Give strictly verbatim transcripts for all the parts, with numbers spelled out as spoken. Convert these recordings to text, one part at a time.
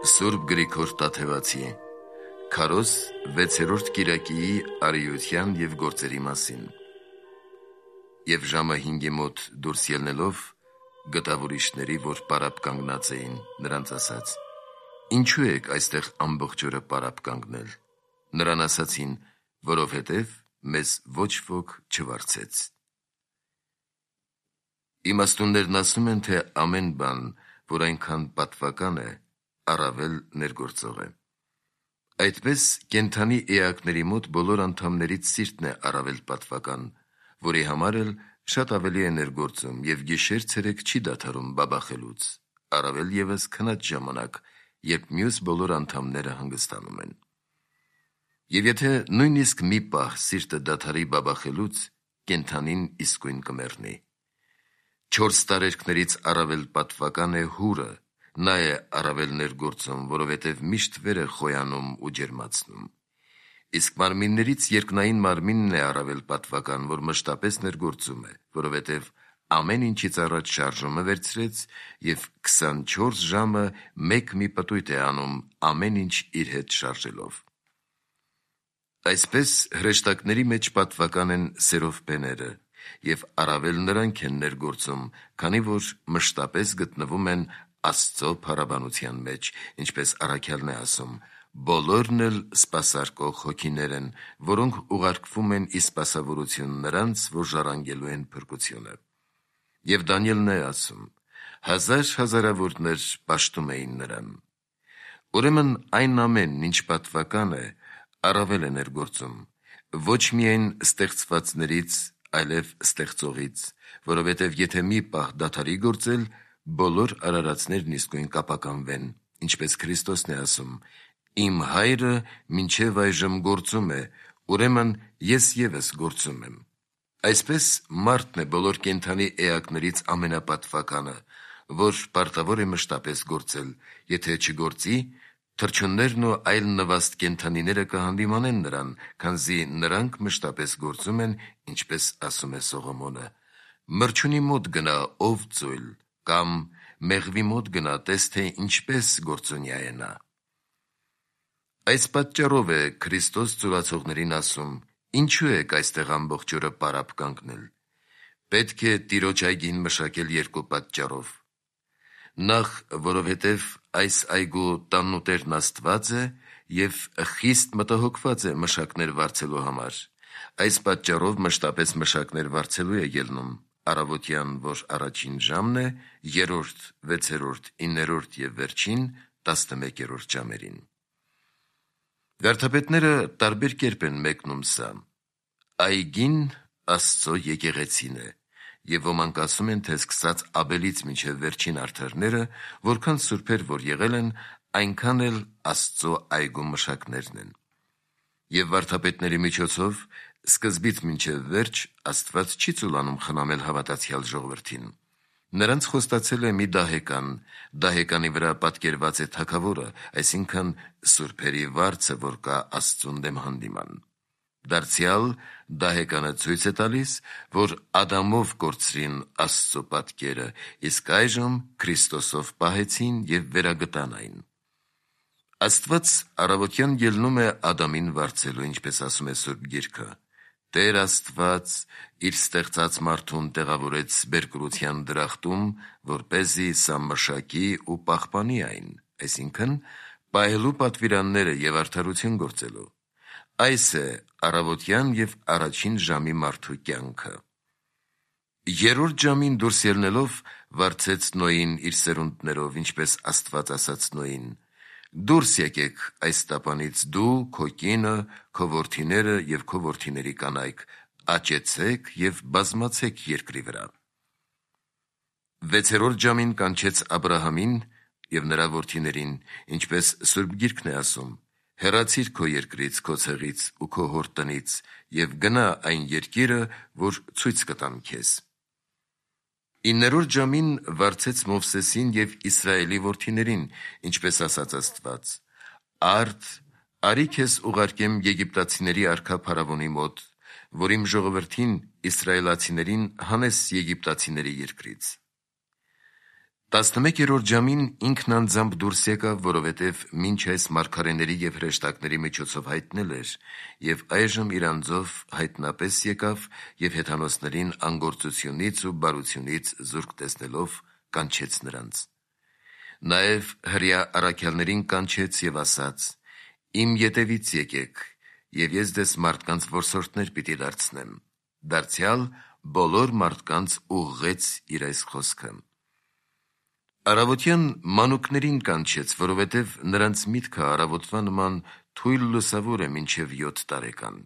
Սուրբ Գրիգոր Տաթևացի Քարոզ վեցերորդ կիրակիի արիության և գործերի մասին։ Եվ ժամը հինգի մոտ դուրս ելնելով գտավ ուրիշների, որ պարապ կանգնած էին, նրանց ասաց. «Ինչու եք այստեղ ամբողջ օրը պարապ կանգնել»։ Նրան ասացին, որովհետև մեզ ոչ ոք չվարձեց։ Իմաստուններն ասում են, թե ամեն բան, որ այնքան պատվական է, առավել ներգործող է։ Այդպես կենդանի էակների մոտ բոլոր անդամներից սիրտն է առավել պատվական, որի համար էլ շատ ավելի է ներգործում և գիշեր-ցերեկ չի դադարում բաբախելուց, առավել ևս քնած ժամանակ, երբ մյուս բոլոր անդամները հանգստանում են։ Եվ եթե նույնիսկ մի պահ սիրտը դադարի բաբախելուց, կենդանին իսկույն կմեռնի։ Չորս տարերքներից առավել պատվական է հուրը, նա է առավել ներգործում, որովհետև միշտ վեր է խոյանում ու ջերմացնում։ Իսկ մարմիններից երկնային մարմինն է առավել պատվական, որ մշտապես ներգործում է, որովհետև ամեն ինչից առաջ շարժումը վերցրեց և քսանչորս ժամը մեկ մի պտույտ է անում ամեն ինչ իր հետ շարժելով։ Այսպես հրեշտակների մեջ պատվական են սերովպեները, և առավել նրանք են ներգործում, քանի որ մշտապես գտնվում են Աստծո փառաբանության մեջ, ինչպես առաքյալն է ասում. «Բոլորն էլ սպասարկող հոգիներ են, որոնք ուղարկվում են ի սպասավորություն նրանց, որ ժառանգելու են փրկությունը»։ Եվ Դանիելն է ասում. «Հազար հազարավորներ պաշտում էին նրան»։ Ուրեմն այն ամենն, ինչ պատվական է, առավել է ներգործում, ոչ միայն ստեղծվածներից, այլև ստեղծողից, որովհետև եթե մի պահ դադարի գործել, բոլոր արարածներն իսկույն կապականվեն, ինչպես Քրիստոսն է ասում. «Իմ Հայրը մինչև այժմ գործում է, ուրեմն ես ևս գործում եմ»։ Այսպես մարդն է բոլոր կենդանի էակներից ամենապատվականը, որ պարտավոր է մշտապես գործել, եթե չգործի, թռչուններն ու այլ նվաստ կենդանիները կհանդիմանեն նրան, քանզի նրանք մշտապես գործում են, ինչպես ասում է Սողոմոնը. «Մրջունի մոտ գնա, ով ծույլ, կամ մեղվի մոտ գնա, տես, թե ինչպես գործունյա է նա»։ Այս պատճառով է Քրիստոս ծուլացողներին ասում. «Ինչու եք այստեղ ամբողջ օրը պարապ կանգնել»։ Պետք է Տիրոջ այգին մշակել երկու պատճառով. Նախ, որովհետև այս այգու տանուտերն Աստված է և խիստ մտահոգված է մշակներ վարձելու համար։ Այս պատճառով մշտապես մշակներ վարձելու է ելնում առավոտյան, որ առաջին ժամն է, երրորդ, վեցերորդ, իններորդ և վերջին, տասնմեկերորդ ժամերին։ Վարդապետները տարբեր կերպ են մեկնում սա։ Այգին Աստծո եկեղեցին է, և ոմանք ասում են, թե սկսած Աբելից մինչև վերջին արդարները, որքան սուրբեր որ եղել են, այնքան էլ Աստծո այգու մշակներն են։ Եվ վարդապետների միջոցով սկզբից մինչև վերջ Աստված չի ծուլանում խնամել հավատացյալ ժողովրդին։ Նրանց խոստացել է մի դահեկան, դահեկանի վրա պատկերված է թագավորը, այսինքն սուրբերի վարձը, որ կա Աստծուն դեմ հանդիման։ Դարձյալ դահեկանը ցույց է տալիս, որ Ադամով կորցրին Աստծո պատկերը, իսկ այժմ Քրիստոսով պահեցին և վերագտան այն։ Աստված առավոտյան ելնում է Ադամին վարձելու, ինչպես ասում է Սուրբ Գիրքը. «Տեր Աստված իր ստեղծած մարդուն տեղավորեց բերկրության դրախտում, որպեսզի սա մշակի ու պահպանի այն», այսինքն պահելու պատվիրանները և արդարություն գործելու։ Այս է առավոտյան և առաջին ժամի մարդու կյանքը։ Երրորդ ժամին դուրս ելնելով վարձեց Նոյին իր սերունդներով, ինչպես Աստված ասաց Նոյին. «Դուրս եկեք այս տապանից դու, քո կինը, քո որդիները և քո որդիների կանայք, աճեցեք և բազմացեք երկրի վրա»։ Վեցերորդ ժամին կանչեց Աբրահամին և նրա որդիներին, ինչպես Սուրբ Գիրքն է ասում. «Հեռացիր քո երկրից, քո ցեղից ու քո հոր տնից և գնա այն երկիրը, որ ցույց կտամ քեզ»։ Իններորդ ժամին վարձեց Մովսեսին և Իսրայելի որդիներին, ինչպես ասաց Աստված. «Արդ, արի քեզ ուղարկեմ եգիպտացիների արքա Փարավոնի մոտ, որ իմ ժողովրդին՝ իսրայելացիներին հանես Եգիպտացիների երկրից»։ Տասնմեկերորդ ժամին ինքն անձամբ դուրս եկավ, որովհետև մինչ այս մարգարեների և հրեշտակների միջոցով հայտնել էր, և այժմ իր անձով հայտնապես եկավ և հեթանոսներին անգործությունից ու բարությունից զուրկ տեսնելով կանչեց նրանց: Նաև հրեա առաքյալներին կանչեց և ասաց. «Իմ ետևից եկեք, և ես ձեզ մարդկանց որսորդներ պիտի դարձնեմ»: Դարձյալ բոլոր մարդկանց ուղղեց իր այս խոսքը: Առավոտյան մանուկներին կանչեց, որովհետև նրանց միտքը առավոտվա նման թույլ լուսավոր է մինչև յոթ տարեկան: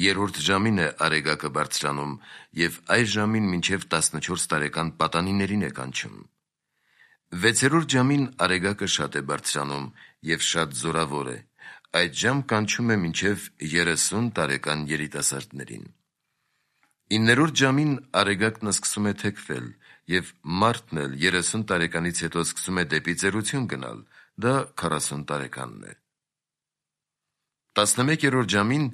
Երրորդ ժամին է արեգակը բարձրանում և այս ժամին մինչև տասնչորս տարեկան պատանիներին է կանչում: Վեցերորդ ժամին արեգակը շատ է բարձրանում և շատ զորավոր է, այդ ժամ կանչում է մինչև երեսուն տարեկան երիտասարդներին: Իններորդ ժամին արեգակն սկսում է թեքվել և մարդն էլ երեսուն տարեկանից հետո սկսում է դեպի ծերություն գնալ, դա քառասուն տարեկանն է: Տասնմեկերորդ ժամին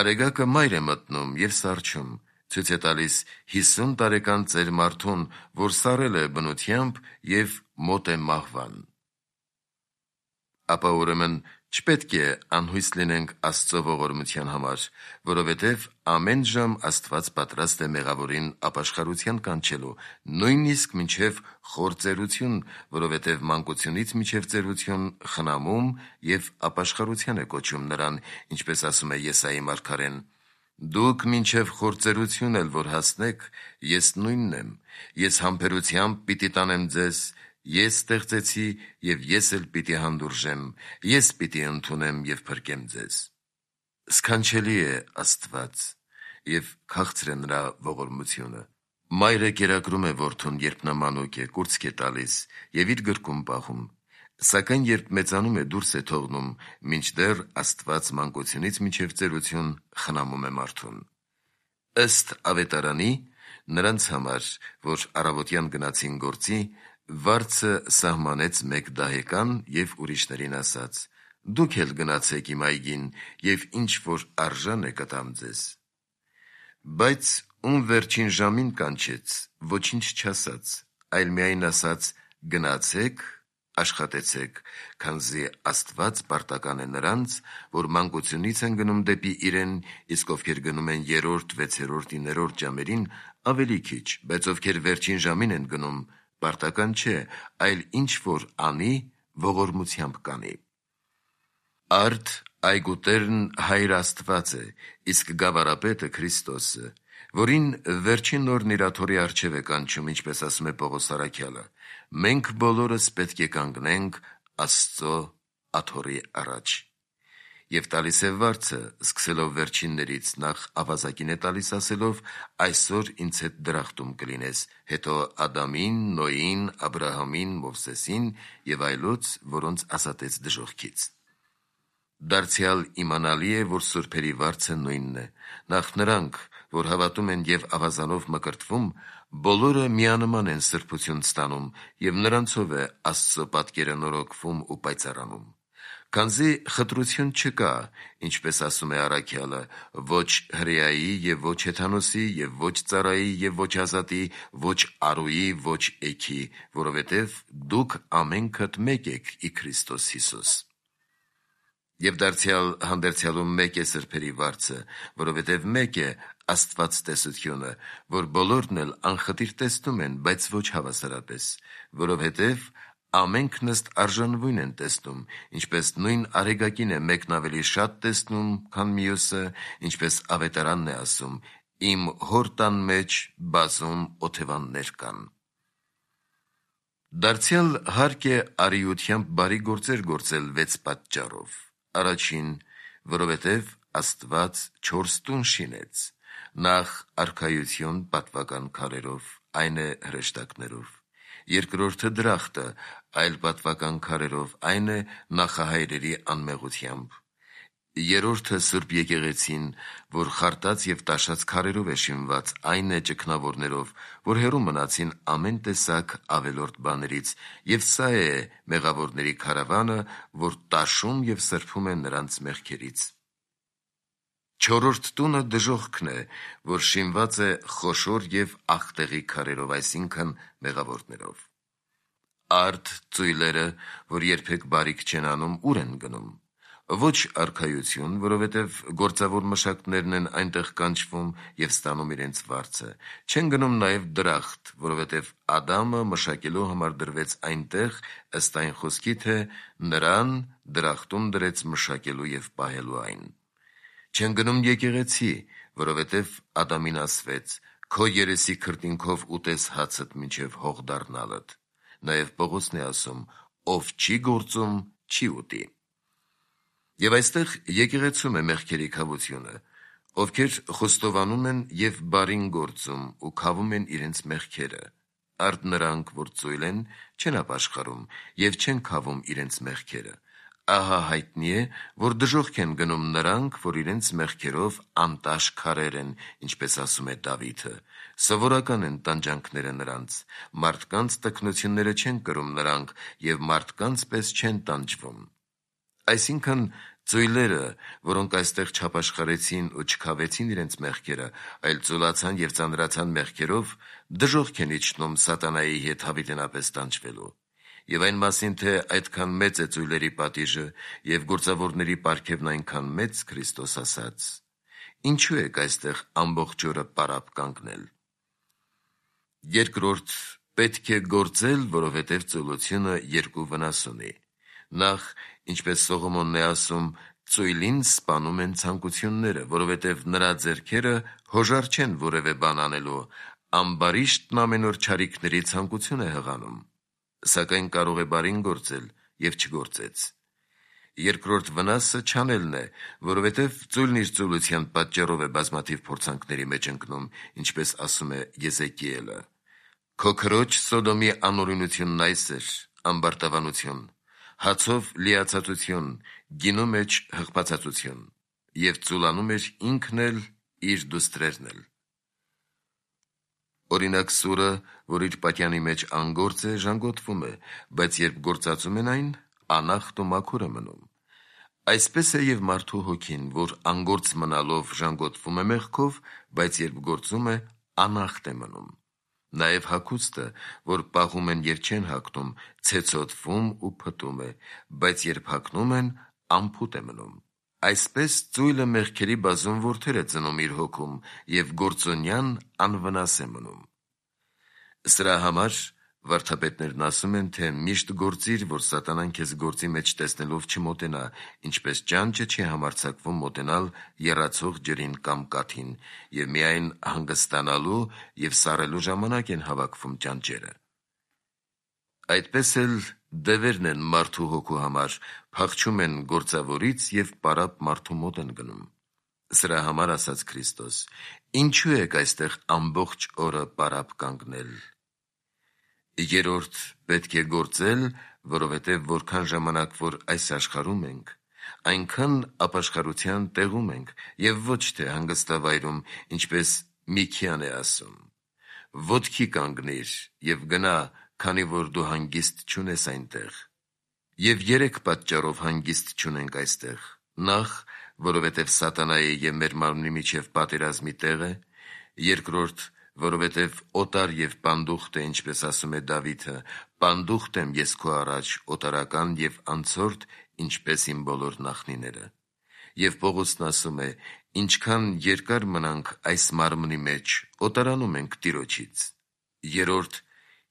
արեգակը մայր է մտնում և սառչում, ցույց է տալիս հիսուն տարեկան ծեր մարդուն, որ սառել է բնությամբ և մոտ է մահվան: Ապա ուրեմն չպետք է անհույս լինենք Աստծո ողորմության համար, որովհետև ամեն ժամ Աստված պատրաստ է մեղավորին ապաշխարության կանչելու, նույնիսկ մինչև խոր ծերություն, որովհետև մանկությունից մինչև ծերություն խնամում և ապաշխարության է կոչում նրան, ինչպես ասում է Եսայի մարգարեն. «Դուք մինչև խոր ծերություն էլ որ հասնեք, ես նույնն եմ, ես համբերությամբ պիտի տանեմ ձեզ, ես ստեղծեցի և ես էլ պիտի հանդուրժեմ, ես պիտի ընդունեմ և փրկեմ ձեզ»: Սքանչելի է Աստված և քաղցր է նրա ողորմությունը: Մայրը կերակրում է որդուն, երբ նա մանուկ է, կուրծք է տալիս և իր գրկում պահում, սակայն երբ մեծանում է, դուրս է թողնում, մինչդեռ Աստված մանկությունից մինչև ծերություն խնամում է մարդուն: Ըստ ավետարանի, նրանց համար, որ առավոտյան գնացին գործի, վարձը սահմանեց մեկ դահեկան և ուրիշներին ասաց. «Դուք էլ գնացեք իմ այգին և ինչ որ արժան է կտամ ձեզ»: Բայց ում վերջին ժամին կանչեց, ոչինչ չասաց, այլ միայն ասաց. «Գնացեք, աշխատեցեք, քանզի Աստված պարտական է նրանց, որ մանկությունից են գնում դեպի իրեն, իսկ ովքեր գնում են երրորդ, վեցերորդ, իններորդ ժամերին, ավելի քիչ, բայց ովքեր վերջին ժամին են գնում, պարտական չէ, այլ ինչ որ անի, ողորմությամբ կանի»: Արդ այգու տերն Հայր Աստված է, իսկ գավառապետը Քրիստոսը, որին վերջին օրն իր աթոռի առջև է կանչում, ինչպես ասում է Պողոս առաքյալը. «Մենք բոլորս պետք է կանգնենք Աստծո աթոռի առաջ»: Եվ տալիս է վարձը, սկսելով վերջիններից, նախ ավազակին է տալիս ասելով. «Այսօր ինձ հետ դրախտում կլինես», հետո Ադամին, Նոյին, Աբրահամին, Մովսեսին և այլոց, որոնց ազատեց դժոխքից: Դարձյալ իմանալի է, որ սուրբերի վարձը նույնն է: Նախ նրանք, որ հավատում են և ավազանով մկրտվում, բոլորը միանման են սրբություն ստանում և նրանցով է Աստծո պատկերը նորոգվում ու պայծառանում: Քանզի խտրություն չկա, ինչպես ասում է առաքյալը, ոչ հրեայի և ոչ հեթանոսի և ոչ ծառայի և ոչ ազատի, ոչ առուի, ոչ էգի, որովհետև դուք ամենքդ մեկ եք ի Քրիստոս Հիսուս: Եվ դարձյալ հանդերձյալում մեկ է սրբերի վարձը, որովհետև մեկ է աստվածտեսությունը, որ բոլորն էլ անխտիր տեսնում են, բայց ոչ հավասարապես, որովհետև ամենքն ըստ արժանվույն են տեսնում, ինչպես նույն արեգակին է մեկն ավելի շատ տեսնում, քան մյուսը, ինչպես ավետարանն է ասում. «Իմ հոր տան մեջ բազում օթևաններ կան»: Դարձյալ հարկ է արիությամբ բարի գործեր գործել վեց պատճառով: Առաջին, որովհետև Աստված չորս տուն շինեց. նախ արքայություն պատվական քարերով, այն է հրեշտակներով, երկրորդը դրախտը, այլ պատվական քարերով, այն է նախահայրերի անմեղությամբ, երրորդը Սուրբ եկեղեցին, որ խարտած և տաշած քարերով է շինված, այն է ճգնավորներով, որ հեռու մնացին ամեն տեսակ ավելորդ բաներից, և սա է մեղավորների քարավանը, որ տաշում և սրբում է նրանց մեղքերից: Չորրորդ տունը դժոխքն է, որ շինված է խոշոր և աղտեղի քարերով, այսինքն մեղավորներով: Արդ ծույլերը, որ երբեք բարիք չեն անում, ուր են գնում։ Ոչ արքայություն, որովհետև գործավոր մշակներն են այնտեղ կանչվում և ստանում իրենց վարձը, չեն գնում նաև դրախտ, որովհետև Ադամը մշակելու համար դրվեց այնտեղ, ըստ այն խոսքի, թե նրան դրախտում դրեց մշակելու և պահելու այն։ Չեն գնում եկեղեցի, որովհետև Ադամին ասվեց. «Քո երեսի քրտինքով ուտես հացդ մինչև հող դառնալդ»։ Նաև Պողոսն է ասում. «Ով չի գործում, չի ուտի»։ Եվ այստեղ եկեղեցում է մեղքերի քավությունը, ովքեր խոստովանում են և բարին գործում ու քավում են իրենց մեղքերը։ Արդ նրանք, որ ծույլ են, չեն ապաշխարում և չեն քավում իրենց մեղքերը։ Ահա հայտնի է, որ դժոխք են գնում նրանք, որ իրենց մեղքերով անտաշ քարեր են, ինչպես ասում է Դավիթը, սովորական են տանջանքները նրանց, մարդկանց տքնությունները չեն կրում նրանք և մարդկանց պես չեն տանջվում։ Այսինքն ծույլերը, որոնք այստեղ չապաշխարեցին ու չքավեցին իրենց մեղքերը, այլ ծուլացան և ծանրացան մեղքերով, դժոխք են իջնում սատանայի հետ հավիտենապես տանջվելու։ Եվ այն մասին, թե այդքան մեծ է ծույլերի պատիժը և գործավորների պարգևն այնքան մեծ, Քրիստոս ասաց. «Ինչու եք այստեղ ամբողջ օրը պարապ կանգնել»։ Երկրորդ, պետք է գործել, որովհետև ծուլությունը երկու վնաս ունի։ Նախ, ինչպես Սողոմոնն է ասում, ծույլին սպանում են ցանկությունները, որովհետև նրա ձեռքերը հոժար չեն որևէ բան անելու, ամբարիշտն ամեն օր չարիքների ցանկություն է հղանում, սակայն կարող է բարին գործել և չգործեց։ Երկրորդ վնասը չանելն է, որովհետև ծույլն իր ծուլության պատճառով է բազմաթիվ փորձանքների մեջ ընկնում, ինչպես ասում է Եզեկիելը. «Քո քրոջ Սոդոմի անօրենությունն այս էր, ամբարտավանություն, հացով լիացածություն, գինու մեջ հղբացածություն, և ծուլանում էր ինքն էլ, իր դուստրերն էլ»։ Օրինակ, սուրը, որ իր պատյանի մեջ անգործ է, ժանգոտվում է, բայց երբ գործածում են այն, անախտ ու մաքուր է մնում։ Այսպես է և մարդու հոգին, որ անգործ մնալով ժանգոտվում է մեղքով, բայց երբ գործում է, անախտ է մնում։ Նաև հագուստը, որ պահում են և չեն հագնում, ցեցոտվում ու փտում է, բայց երբ հագնում են, անփութ է մնում։ Այսպես ծույլը մեղքերի բազում որդեր է ծնում իր հոգում, և գործոնյան անվնաս է մնում։ Սրա համար վարդապետներն ասում են, թե միշտ գործիր, որ սատանան քեզ գործի մեջ տեսնելով չմոտենա, ինչպես ճանճը չի համարձակվում մոտենալ եռացող ջրին կամ կաթին, և միայն հանգստանալու և սառելու ժամանակ են հավաքվում ճանճերը։ Այդպես էլ դևերն են մարդու հոգու համար, փախչում են գործավորից և պարապ մարդու մոտ են գնում։ Սրա համար ասաց Քրիստոս. «Ինչու եք այստեղ ամբողջ օրը պարապ կանգնել»։ Երորդ, պետք է գործել, որովհետև որքան ժամանակ որ այս աշխարհում ենք, այնքան ապաշխարության տեղում ենք և ոչ թե հանգստավայրում, ինչպես Միքիան է ասում. «Ոտքի կանգնիր և գնա, քանի որ դու հանգիստ չունես այնտեղ»։ Եվ երեք պատճառով հանգիստ չունենք այստեղ. Նախ, որովհետև սատանայի և մեր մարմնի միջև պատերազմի տեղ է. երկրորդ, որովհետև օտար և պանդուխտ է, ինչպես ասում է Դավիթը. «Պանդուխտ եմ ես քո առաջ, օտարական և անցորդ, ինչպես իմ բոլոր նախնիները»։ Եվ Պողոսն ասում է. «Ինչքան երկար մնանք այս մարմնի մեջ, օտարանում ենք Տիրոջից»։ Երորդ,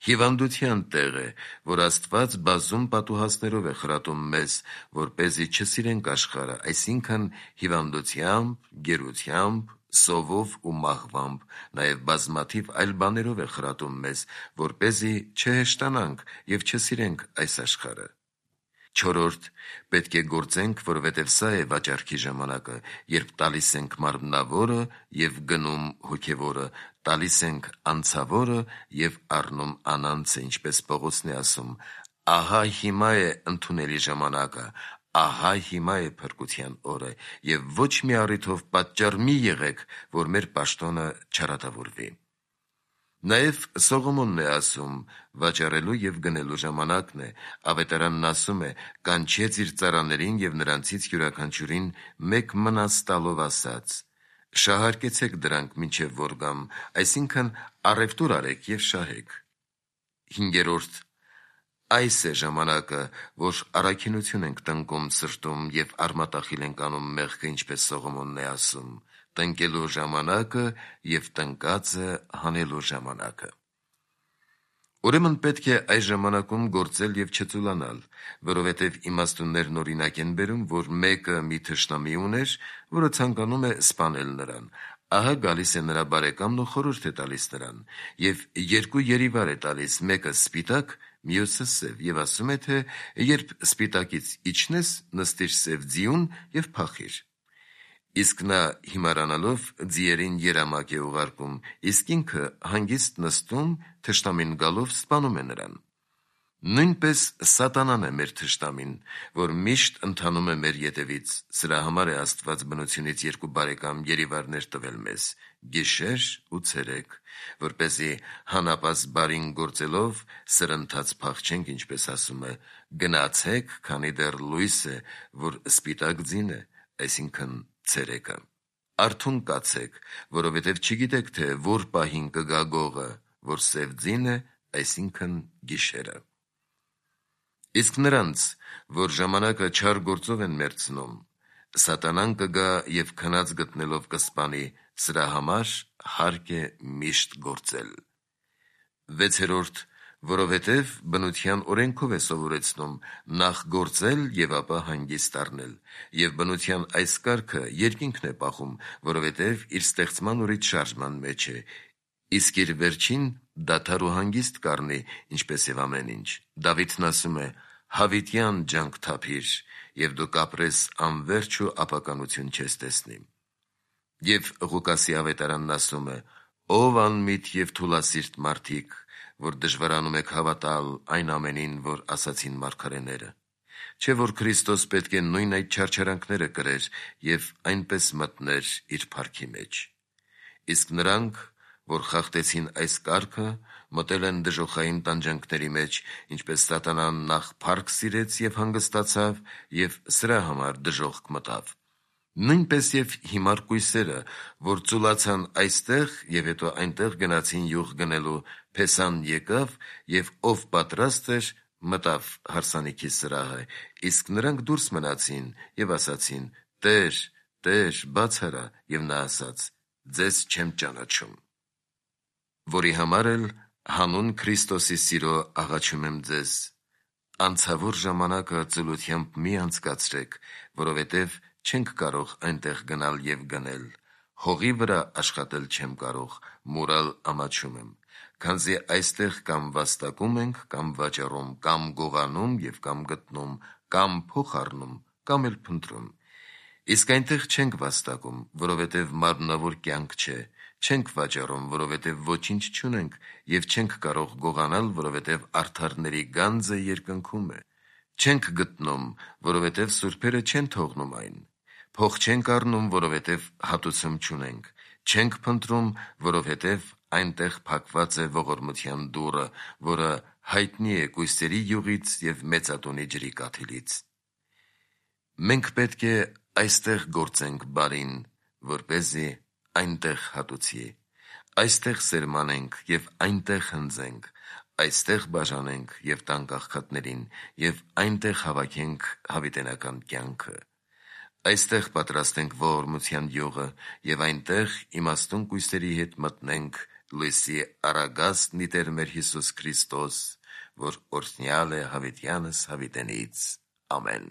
հիվանդության տեղ է, որ Աստված բազում պատուհասներով է խրատում մեզ, որպեսզի չսիրենք աշխարհը, այսինքն հիվանդությամբ, գերությամբ, սովով ու մահվամբ, նաև բազմաթիվ այլ բաներով է խրատում մեզ, որպեսզի չհեշտանանք և չսիրենք այս աշխարհը։ Չորրորդ, պետք է գործենք, որովհետև սա է վաճառքի ժամանակը, երբ տալիս ենք մարմնավորը և գնում հոգևորը, տալիս ենք անցավորը և առնում անանցը, ինչպես Պողոսն է ասում. «Ահա հիմա է ընդունելի ժամանակը, ահա հիմա է փրկության օրը, և ոչ մի առիթով պատճառ մի եղեք, որ մեր պաշտոնը չարատավորվի»։ Նաև Սողոմոնն է ասում. վաճառելու և գնելու ժամանակն է, ավետարանն ասում է. «Կանչեց իր ծառաներին և նրանցից յուրաքանչյուրին մեկ մնաս տալով ասաց. շահարկեցեք դրանք մինչև որ գամ», այսինքն առևտուր արեք և շահեք։ Հինգերորդ, Այս է ժամանակը, որ առաքինություն ենք տնկում սրտում և արմատախիլ ենք անում մեղքը, ինչպես Սողոմոնն է ասում, տնկելու ժամանակը և տնկածը հանելու ժամանակը։ Ուրեմն պետք է այս ժամանակում գործել և չծուլանալ, որովհետև իմաստուններն օրինակ են բերում, որ մեկը մի թշնամի ուներ, որը ցանկանում է սպանել նրան։ Ահա գալիս է նրա բարեկամն ու խորհուրդ է տալիս նրան, և երկու երիվար է տալիս, մեկը սպիտակ, մյուսը սև, և ասում է, թե երբ սպիտակից իջնես, նստիր սև ձիուն և փախիր։ Իսկ նա հիմարանալով ձիերին երամակ է ուղարկում, իսկ ինքը հանգիստ նստում, թշնամին գալով սպանում է նրան։ Նույնպես սատանան է մեր թշնամին, որ միշտ ընթանում է մեր ետևից, սրա համար է Աստված բնությունից երկու բարեկամ երիվարներ տվել մեզ՝ գիշեր ու ցերեկ, որպեսզի հանապազտ բարին գործելով սրընթաց փախչենք, ինչպես ասում է, գնացեք, քանի դեռ լույս է, որ սպիտակ ձին է, այսինքն ցերեկը։ Արթուն կացեք, որովհետև չգիտեք, թե որ պահին կգա գողը, որ սև ձին է, այսինքն գիշերը։ Իսկ նրանց, որ ժամանակը չար գործով են մերցնում, սատանան կգա և քնած գտնելով կսպանի, սրա համար հարկ է միշտ գործել։ Վեցերորդ, որովհետև բնության օրենքով է սովորեցնում նախ գործել և ապա հանգիստ առնել, և բնության այս կարգը երկինքն է պահում, որովհետև իր ստեղծման օրից շարժման մեջ է, իսկ իր վերջին դադար ու հանգիստ կառնի, ինչպես և ամեն ինչ։ Դավիթն ասում է. «Հավիտյան ջանք թափիր, և դու կապրես անվերջ ու ապականություն չես տեսնի»։ Եվ Ղուկասի ավետարանն ասում է. «Ով անմիտ և թուլասիրտ մարդիկ, որ դժվարանում եք հավատալ այն ամենին, որ ասացին մարգարեները։ Չէ՞ որ Քրիստոս պետք է նույն այդ չարչարանքները կրեր և այնպես մտներ իր փառքի մեջ։ Իսկ նրանք, որ խախտեցին այս կարգը, մտել են դժոխային տանջանքների մեջ, ինչպես սատանան նախ փառք սիրեց և հանգստացավ, և սրա համար դժոխք մտավ։ Նույնպես և հիմար կույսերը, որ ծուլացան այստեղ և հետո այնտեղ գնացին յուղ գնելու, փեսան եկավ, և ով պատրաստ էր, մտավ հարսանիքի սրահը, իսկ նրանք դուրս մնացին և ասացին. «Տե՛ր, Տե՛ր, բաց արա»։ Եվ նա ասաց. «Ձեզ չեմ ճանաչում»։ Որի համար էլ հանուն Քրիստոսի սիրո աղաչում եմ ձեզ. անցավոր ժամանակը ծուլությամբ մի անցկացրեք, որովհետև չենք կարող այնտեղ գնալ և գնել։ Հողի վրա աշխատել չեմ կարող, մուրալ ամաչում եմ, քանզի այստեղ կամ վաստակում ենք, կամ վաճառում, կամ գողանում և կամ գտնում, կամ փող առնում, կամ էլ փնտրում։ Իսկ այնտեղ չենք վաստակում, որովհետև մարմնավոր կյանք չէ, չենք վաճառում, որովհետև ոչինչ չունենք, և չենք կարող գողանալ, որովհետև արդարների գանձը երկնքում է։ Չենք գտնում, որովհետև սուրբերը չեն թողնում այն։ Փող չենք առնում, որովհետև հատուցում չունենք։ Չենք փնտրում, որովհետև այնտեղ փակված է ողորմության դուռը, որը հայտնի է կույսերի յուղից և մեծատունի ջրի կաթիլից։ Մենք պետք է այստեղ գործենք բարին, որպեսզի այնտեղ հատուցի, այստեղ սերմանենք և այնտեղ հնձենք, այստեղ բաժանենք և տանք աղքատներին, և այնտեղ հավաքենք հավիտենական կյանքը։ Այստեղ պատրաստենք ողորմության յուղը և այնտեղ իմաստուն կույսերի հետ մտնենք լույսի առագաստն ի Տեր մեր Հիսուս Քրիստոս, որ օրհնյալ է հավիտյանս հավիտենից։ Ամեն։